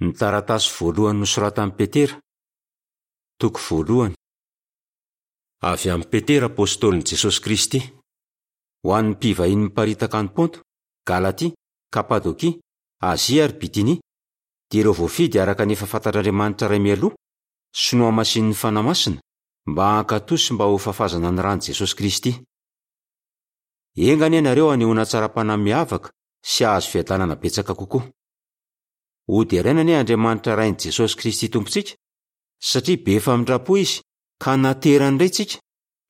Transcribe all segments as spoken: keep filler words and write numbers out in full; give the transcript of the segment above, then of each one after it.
Ny taratasy voalohany nosoratan'i Petera, toko voalohany. Avy amin'i Petera apostolin'i Jesosy Kristy. Ho an'ny mpivahiny miparitaka any Ponto, Galatia, Kapadokia, Azia ary Bitinia, dia ireo voafidy araka ny efa fantatr'Andriamanitra Ray mialoha sy nohamasinin'ny Fanahy Masina mba hankatò sy mba ho fafazana ny ran'i Jesosy Kristy. Enga anie ianareo hanehoana hatsaram-panahy miavaka sy hahazo fiadanana betsaka kokoa. Hoderaina anie Andriamanitra Rain'i Jesosy Kristy Tompontsika, satria be famindram-po Izy ka naterany indray tsika,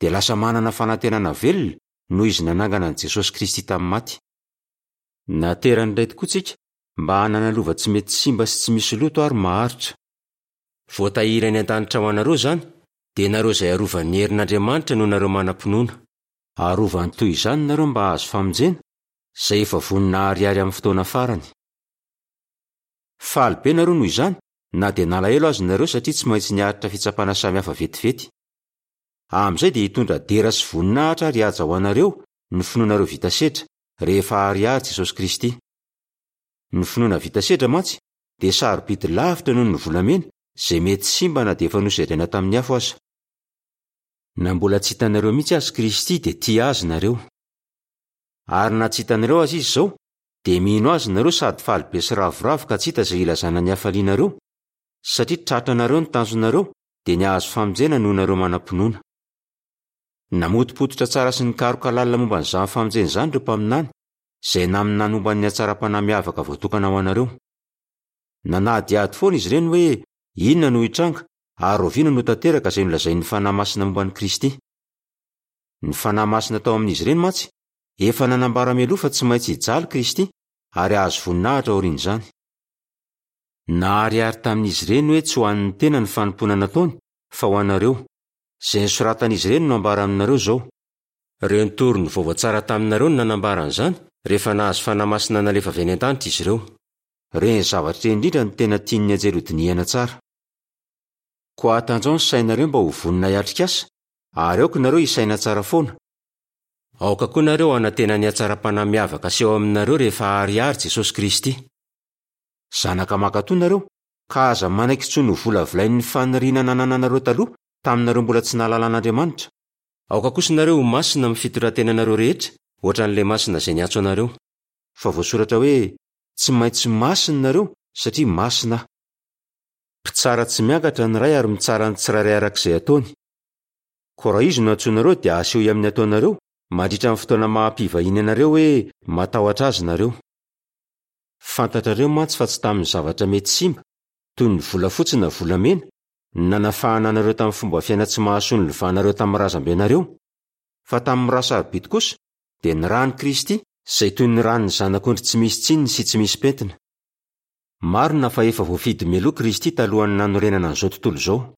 dia lasa manana fanantenana velona noho Izy nanangana an'i Jesosy Kristy tamin'ny maty. Naterany indray tokoa tsika mba hanana lova tsy mety simba sy tsy misy loto ary maharitra. Voatahiry any an-danitra ho anareo izany, dia nareo izay arovan'ny herin'Andriamanitra noho nareo manam-pinoana. Arovany toy izany nareo mba hahazo famonjena, izay efa vonona hariary amin'ny fotoana farany. Faly be nareo noho izany, na dia nalahelo aza nareo satria tsy maintsy niaritra fitsapana samihafa vetivety. Amin'izay dia hitondra dera sy voninahitra ary haja ho anareo ny finoanareo vita sedra rehefa hariary Jesosy Kristy. Ny finoana vita sedra mantsy dia sarobidy lavitra noho ny volamena izay mety simba na dia efa nosedraina tamin'ny afo aza. Na mbola tsy hitanareo mihitsy azy Kristy dia tia azy nareo. Ary na tsy hitanareo azy izy izao, dia mino azy nareo sady faly be sy ravoravo ka tsy hita izay ilazana ny hafalianareo, satria tratranareo ny tanjonareo dia ny hahazo famonjena noho nareo manam-pinoana. Namotopototra tsara sy nikaroka lalina momba an'izany famonjena izany ireo mpaminany, izay naminany momba ny hatsaram-panahy miavaka voatokana ho anareo. Nanadihady foana izy ireny hoe inona no hitranga ary oviana no tanteraka izay nolazain'ny Fanahy Masina momba an'i Kristy. Ny Fanahy Masina tao amin'izy ireny mantsy efa nanambara mialoha fa tsy maintsy hijaly Kristy ary hahazo voninahitra aorian'izany. Naharihary tamin'izy ireny hoe tsy ho an'ny tena ny fanompoana nataony fa ho anareo. Izay nosoratan'izy ireny no ambara aminareo izao. Ireo nitory ny vaovao tsara taminareo no nanambara an'izany rehefa nahazo Fanahy Masina nalefa avy any an-danitra izy ireo. Ireny zavatra ireny indrindra no tena tian'ny anjely hodinihana tsara. Koa hatanjao ny sainareo mba ho vonona hiatrika asa, ary aoka nareo hisaina tsara foana. Aoka koa nareo hanantena ny hatsaram-panahy miavaka aseho aminareo rehefa hariary Jesosy Kristy. Zanaka mankatò nareo, ka aza manaiky intsony ho volavolain'ny faniriana nanananareo taloha taminareo mbola tsy nahalala an'Andriamanitra. Aoka kosa nareo ho masina amin'ny fitondran-tenanareo rehetra, ohatran'ilay masina izay niantso anareo. Fa voasoratra hoe tsy maintsy masina nareo satria masina aho. Mpitsara tsy miangatra ny Ray ary mitsara ny tsirairay araka izay ataony. Koa raha izy no antsoinareo dia asehoy amin'ny ataonareo mandritra ny fotoana maha-mpivahiny anareo hoe matahotra azy nareo. Fantatrareo mantsy fa tsy tamin'ny zavatra mety simba, toy ny volafotsy na volamena, no nanafahana anareo tamin'ny fomba fiaina tsy mahasoa nilovanareo tamin'ny razambenareo, fa tamin'ny rà sarobidy kosa dia ny ran'i Kristy izay toy ny ran'ny zanak'ondry tsy misy tsininy sy tsy misy pentina. Marina fa efa voafidy mialoha Kristy talohan'ny nanorenana an'izao tontolo izao.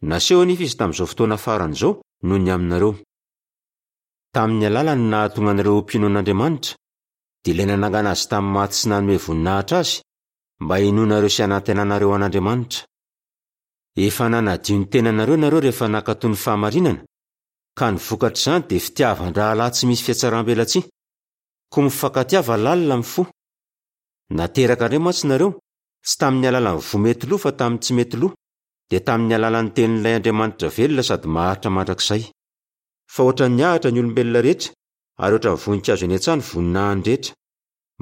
Naseho anefa izy tamin'izao fotoana farany izao noho ny aminareo. Tamin'ny alalany no nahatonga anareo ho mpino an'Andriamanitra, dia ilay nanangana azy tamin'ny maty sy nanome voninahitra azy, mba hinoanareo sy hanantenanareo an'Andriamanitra. Efa nanadio ny tenanareo nareo rehefa nankatò ny fahamarinana, ka ny vokatr'izany dia fitiavan-drahalahy tsy misy fihatsaram-belatsihy. Koa mifankatiava lalina amin'ny fo. Nateraka indray mantsy nareo, tsy tamin'ny alalan'ny voa mety lo fa tamin'ny tsy mety lo, dia tamin'ny alalan'ny tenin'ilay Andriamanitra velona sady maharitra mandrakizay. Fa ohatran'ny ahitra ny olombelona rehetra, ary ohatran'ny voninkazo eny an-tsaha ny voninahiny rehetra.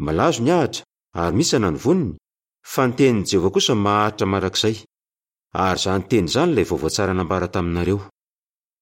Malazo ny ahitra ary mihitsana ny voniny, fa ny tenin'i Jehovah kosa maharitra mandrakizay. Ary izany teny izany ilay vaovao tsara nambara taminareo.